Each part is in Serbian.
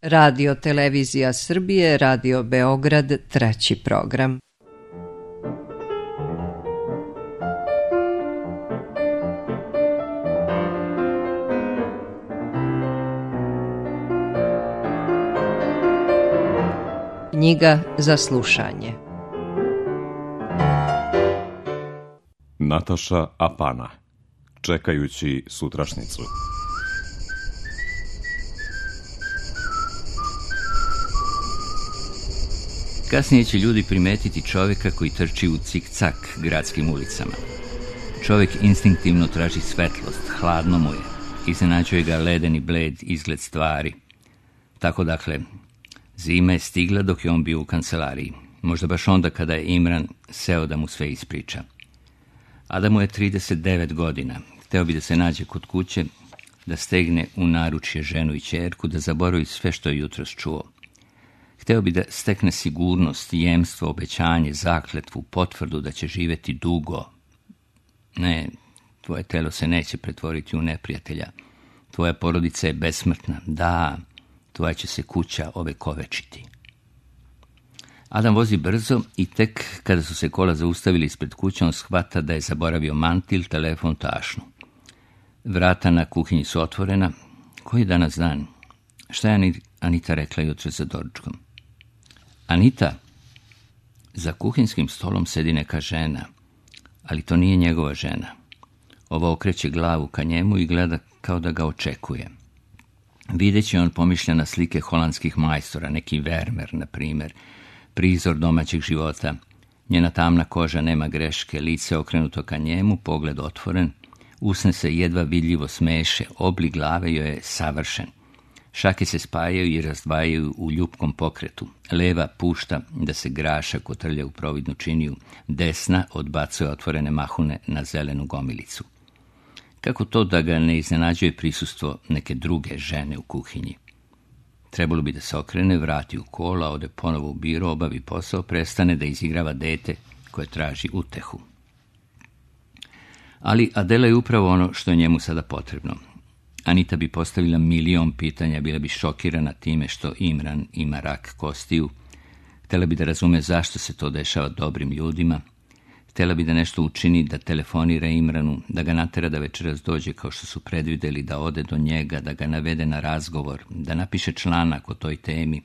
Radio Televizija Srbije, Radio Beograd, 3. program. Knjiga za slušanje. Nataša Apana, čekajući sutrašnjicu. Kasnije će ljudi primetiti čovjeka koji trči u cik-cak gradskim ulicama. Čovjek instinktivno traži svetlost, hladno mu je. Iznenađuje ga ledeni bled izgled stvari. Tako dakle, zima je stigla dok je on bio u kancelariji. Možda baš onda kada je Imran seo da mu sve ispriča. Adamu je 39 godina. Hteo bi da se nađe kod kuće, da stegne u naručje ženu i ćerku, da zaboravi sve što je jutros čuo. Hteo bi da stekne sigurnost, jemstvo, obećanje, zakletvu, potvrdu da će živjeti dugo. Ne, tvoje telo se neće pretvoriti u neprijatelja. Tvoja porodica je besmrtna. Da, tvoja će se kuća ovekovečiti. Adam vozi brzo i tek kada su se kola zaustavili ispred kuće, on shvata da je zaboravio mantil, telefon, tašnu. Vrata na kuhinji su otvorena. Koji je danas dan? Šta je Anita rekla jutro za doručkom? Anita, za kuhinskim stolom sedi neka žena, ali to nije njegova žena. Ova okreće glavu ka njemu i gleda kao da ga očekuje. Videći on pomišlja na slike holandskih majstora, neki Vermeer, na primjer, prizor domaćeg života. Njena tamna koža nema greške, lice okrenuto ka njemu, pogled otvoren, usne se jedva vidljivo smeše, oblik glave joj je savršen. Šake se spajaju i razdvajaju u ljupkom pokretu. Leva pušta da se graša kotrlja u providnu činiju, desna odbacuje otvorene mahune na zelenu gomilicu. Kako to da ga ne iznenađuje prisustvo neke druge žene u kuhinji? Trebalo bi da se okrene, vrati u kola, ode ponovo u biro, obavi posao, prestane da izigrava dete koje traži utehu. Ali Adela je upravo ono što je njemu sada potrebno. Anita bi postavila milion pitanja, bila bi šokirana time što Imran ima rak kostiju. Htjela bi da razume zašto se to dešava dobrim ljudima. Htjela bi da nešto učini, da telefonira Imranu, da ga natera da večeras dođe kao što su predvidjeli, da ode do njega, da ga navede na razgovor, da napiše članak o toj temi.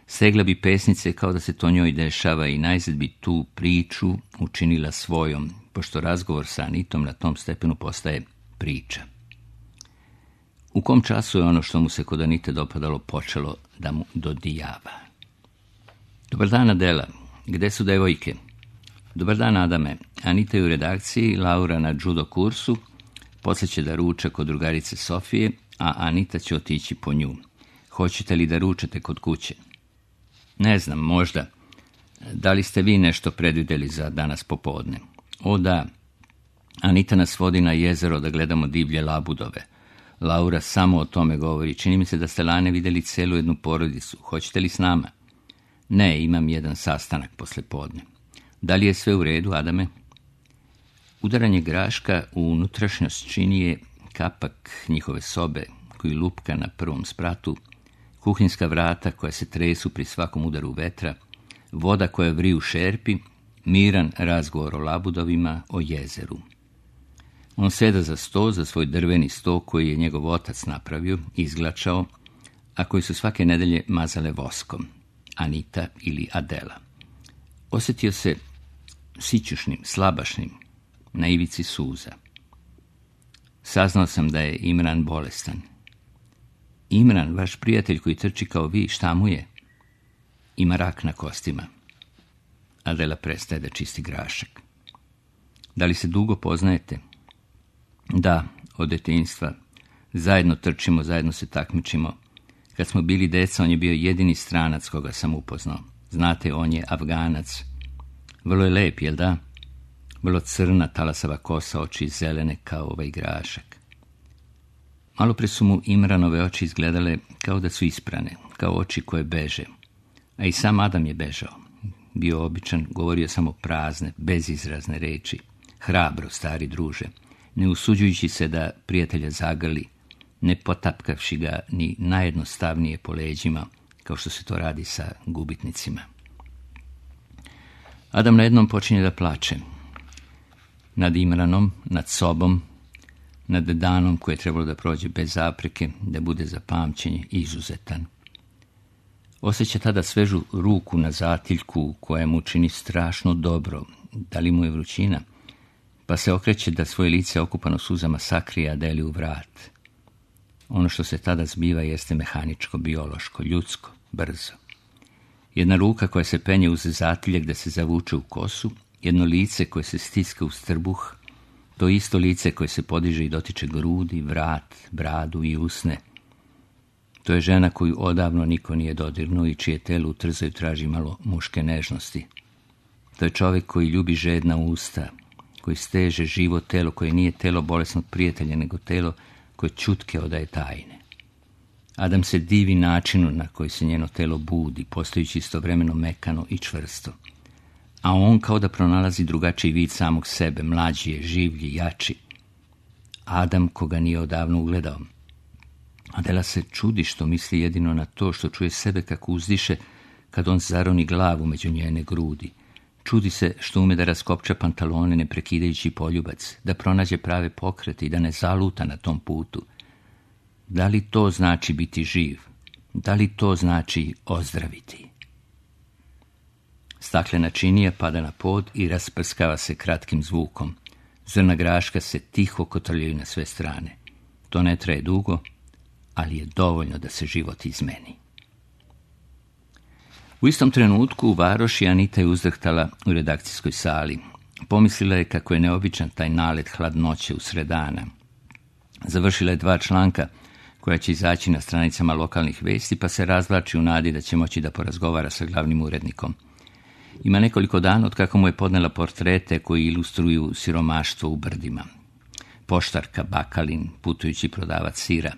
Stegla bi pesnice kao da se to njoj dešava i najzad bi tu priču učinila svojom, pošto razgovor sa Anitom na tom stepenu postaje priča. U kom času je ono što mu se kod Anite dopadalo počelo da mu dodijava? Dobar dan, Adela. Gde su devojke? Dobar dan, Adame. Anita je u redakciji, Laura na judo kursu, poslije će da ruča kod drugarice Sofije, a Anita će otići po nju. Hoćete li da ručate kod kuće? Ne znam, možda. Da li ste vi nešto predvidjeli za danas popodne? O da, Anita nas vodi na jezero da gledamo divlje labudove. Laura samo o tome govori. Čini mi se da ste lane vidjeli celu jednu porodicu. Hoćete li s nama? Ne, imam jedan sastanak posle podne. Da li je sve u redu, Adame? Udaranje graška u unutrašnjost činije, kapak njihove sobe koji lupka na prvom spratu, kuhinska vrata koja se tresu pri svakom udaru vetra, voda koja vri u šerpi, miran razgovor o labudovima, o jezeru. On seda za sto, za svoj drveni sto koji je njegov otac napravio, izglačao, a koji su svake nedelje mazale voskom, Anita ili Adela. Osjetio se sićušnim, slabašnim, na ivici suza. Saznao sam da je Imran bolestan. Imran, vaš prijatelj koji trči kao vi, šta mu je? Ima rak na kostima. Adela prestaje da čisti grašak. Da li se dugo poznajete? Da, od detinjstva. Zajedno trčimo, zajedno se takmičimo. Kad smo bili deca, on je bio jedini stranac koga sam upoznao. Znate, on je Afganac. Vrlo je lep, jel da? Vrlo crna, talasava kosa, oči zelene kao ovaj grašak. Malo pre su mu Imranove oči izgledale kao da su isprane, kao oči koje beže. A i sam Adam je bežao. Bio običan, govorio samo prazne, bezizrazne reči. Hrabro, stari druže, ne usuđujući se da prijatelja zagrli, ne potapkavši ga ni najjednostavnije po leđima, kao što se to radi sa gubitnicima. Adam najednom počinje da plače. Nad Imranom, nad sobom, nad danom koje je trebalo da prođe bez zapreke, da bude za pamćenje izuzetan. Osjeća tada svežu ruku na zatiljku koja mu čini strašno dobro, da li mu je vrućina, pa se okreće da svoje lice okupano suzama sakrije, a deli u vrat. Ono što se tada zbiva jeste mehaničko, biološko, ljudsko, brzo. Jedna ruka koja se penje uz zatiljak da se zavuče u kosu, jedno lice koje se stiska uz trbuh, to isto lice koje se podiže i dotiče grudi, vrat, bradu i usne. To je žena koju odavno niko nije dodirnuo i čije telo u trzaju traži malo muške nežnosti. To je čovjek koji ljubi žedna usta, koji steže živo telo koje nije telo bolesnog prijatelja, nego telo koje čutke odaje tajne. Adam se divi načinu na koji se njeno telo budi, postajući istovremeno mekano i čvrsto. A on kao da pronalazi drugačiji vid samog sebe, mlađi je, življi, jači. Adam koga nije odavno ugledao. Adela se čudi što misli jedino na to što čuje sebe kako uzdiše kad on zaroni glavu među njene grudi. Čudi se što ume da raskopča pantalone ne prekidajući poljubac, da pronađe prave pokrete i da ne zaluta na tom putu. Da li to znači biti živ? Da li to znači ozdraviti? Staklena činija pada na pod i rasprskava se kratkim zvukom. Zrna graška se tiho kotrljaju na sve strane. To ne traje dugo, ali je dovoljno da se život izmeni. U istom trenutku u varoši Anita je uzdrhtala u redakcijskoj sali. Pomislila je kako je neobičan taj nalet hladnoće usred dana. Završila je 2 članka koja će izaći na stranicama lokalnih vesti, pa se razvlači u nadi da će moći da porazgovara sa glavnim urednikom. Ima nekoliko dana od kako mu je podnela portrete koji ilustruju siromaštvo u brdima. Poštarka, bakalin, putujući prodavac sira.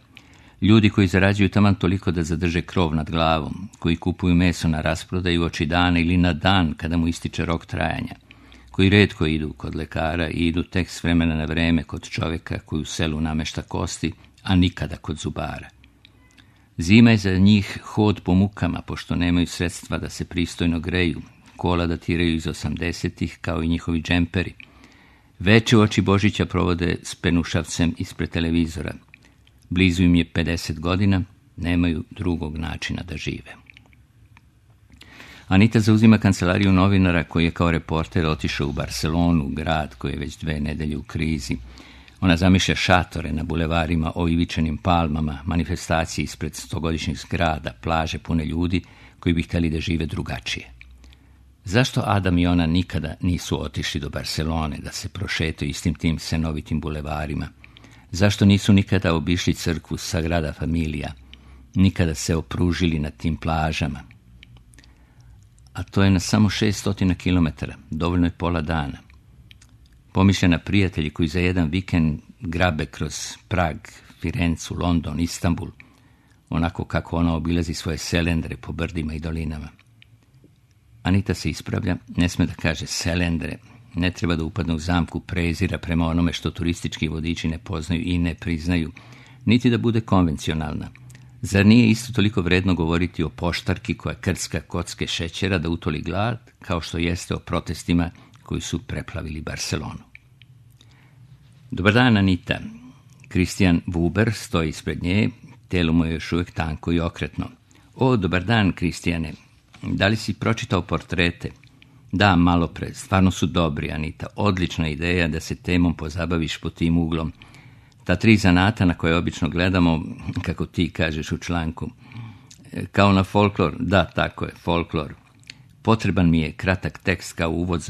Ljudi koji zarađuju taman toliko da zadrže krov nad glavom, koji kupuju meso na rasprodaju oči dana ili na dan kada mu ističe rok trajanja, koji retko idu kod lekara i idu tek s vremena na vreme kod čovjeka koji u selu namešta kosti, a nikada kod zubara. Zima je za njih hod po mukama, pošto nemaju sredstva da se pristojno greju, kola datiraju iz 80-ih kao i njihovi džemperi. Veče u oči Božića provode s penušavcem ispred televizora. Blizu im je 50 godina, nemaju drugog načina da žive. Anita zauzima kancelariju novinara koji je kao reporter otišao u Barcelonu, grad koji je već 2 nedelje u krizi. Ona zamišlja šatore na bulevarima o ivičanim palmama, manifestacije ispred 100-godišnjih zgrada, plaže pune ljudi koji bi htjeli da žive drugačije. Zašto Adam i ona nikada nisu otišli do Barcelone da se prošetaju istim tim senovitim bulevarima? Zašto nisu nikada obišli crkvu Sagrada Familia, nikada se opružili na tim plažama? A to je na samo 600 km, dovoljno je pola dana. Pomišlja na prijatelji koji za jedan vikend grabe kroz Prag, Firencu, London, Istanbul, onako kako ona obilazi svoje selendre po brdima i dolinama. Anita se ispravlja, ne sme da kaže selendre, ne treba da upadne u zamku prezira prema onome što turistički vodiči ne poznaju i ne priznaju, niti da bude konvencionalna. Zar nije isto toliko vredno govoriti o poštarki koja krcka kocke šećera da utoli glad, kao što jeste o protestima koji su preplavili Barcelonu? Dobar dan, Anita. Kristijan Vuber stoji ispred nje, telo mu je još uvijek tanko i okretno. O, dobar dan, Kristijane. Da li si pročitao portrete? Da, malo pre. Stvarno su dobri, Anita. Odlična ideja da se temom pozabaviš po tim uglom. Ta 3 zanata na koje obično gledamo, kako ti kažeš u članku, kao na folklor, da, tako je, folklor. Potreban mi je kratak tekst kao uvod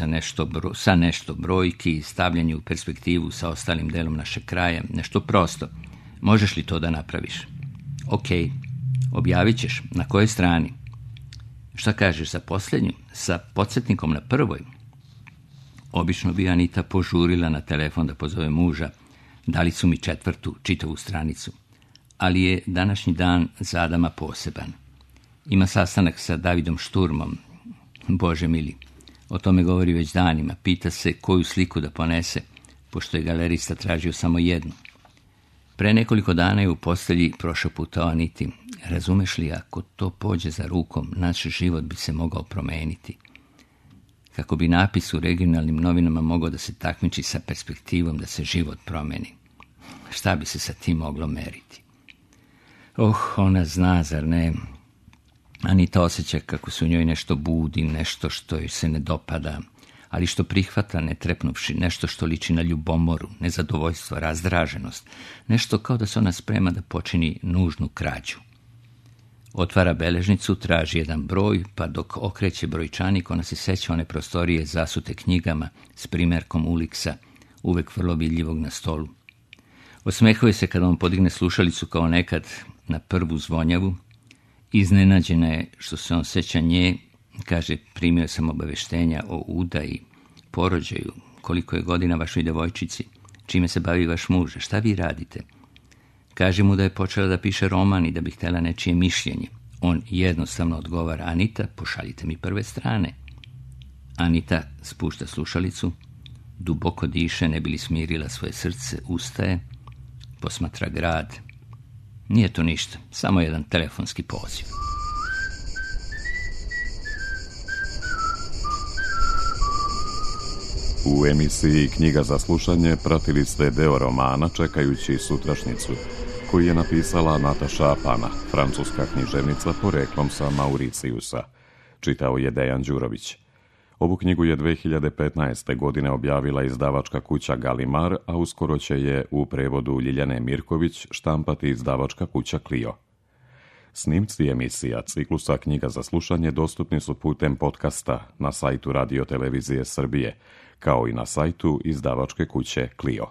sa nešto brojki i stavljanje u perspektivu sa ostalim delom našeg kraja, nešto prosto. Možeš li to da napraviš? Ok, objavit ćeš. Na kojoj strani? Šta kažeš za posljednju? Sa podsjetnikom na prvoj? Obično bi Anita požurila na telefon da pozove muža. Dali su mi 4. čitavu stranicu. Ali je današnji dan za Adama poseban. Ima sastanak sa Davidom Šturmom. Bože mili, o tome govori već danima. Pita se koju sliku da ponese, pošto je galerista tražio samo jednu. Pre nekoliko dana je u postelji prošaputao Aniti: razumeš li, ako to pođe za rukom, naš život bi se mogao promeniti. Kako bi napis u regionalnim novinama mogao da se takmiči sa perspektivom da se život promeni. Šta bi se sa tim moglo meriti? Ona zna, zar ne? Anita osjeća kako se u njoj nešto budi, nešto što joj se ne dopada, ali što prihvata ne trepnuvši, nešto što liči na ljubomoru, nezadovoljstvo, razdraženost, nešto kao da se ona sprema da počini nužnu krađu. Otvara beležnicu, traži jedan broj, pa dok okreće brojčanik, ona se seća one prostorije zasute knjigama s primerkom Uliksa, uvek vrlo vidljivog na stolu. Osmehuje se kada on podigne slušalicu kao nekad na prvu zvonjavu. Iznenađena je što se on seća nje, kaže: primio sam obaveštenja o udaji, porođaju, koliko je godina vašoj devojčici, čime se bavi vaš muž, šta vi radite? Kaže mu da je počela da piše roman i da bi htjela nečije mišljenje. On jednostavno odgovara: Anita, pošaljite mi prve strane. Anita spušta slušalicu, duboko diše, ne bi li smirila svoje srce, ustaje, posmatra grad. Nije to ništa, samo jedan telefonski poziv. U emisiji Knjiga za slušanje pratili ste deo romana Čekajući sutrašnjicu, koji je napisala Nataša Apana, francuska književnica poreklom sa Mauricijusa. Čitao je Dejan Đurović. Ovu knjigu je 2015. godine objavila izdavačka kuća Galimar, a uskoro će je u prevodu Ljiljane Mirković štampati izdavačka kuća Clio. Snimci emisija ciklusa Knjiga za slušanje dostupni su putem podcasta na sajtu Radio Televizije Srbije, kao i na sajtu izdavačke kuće Clio.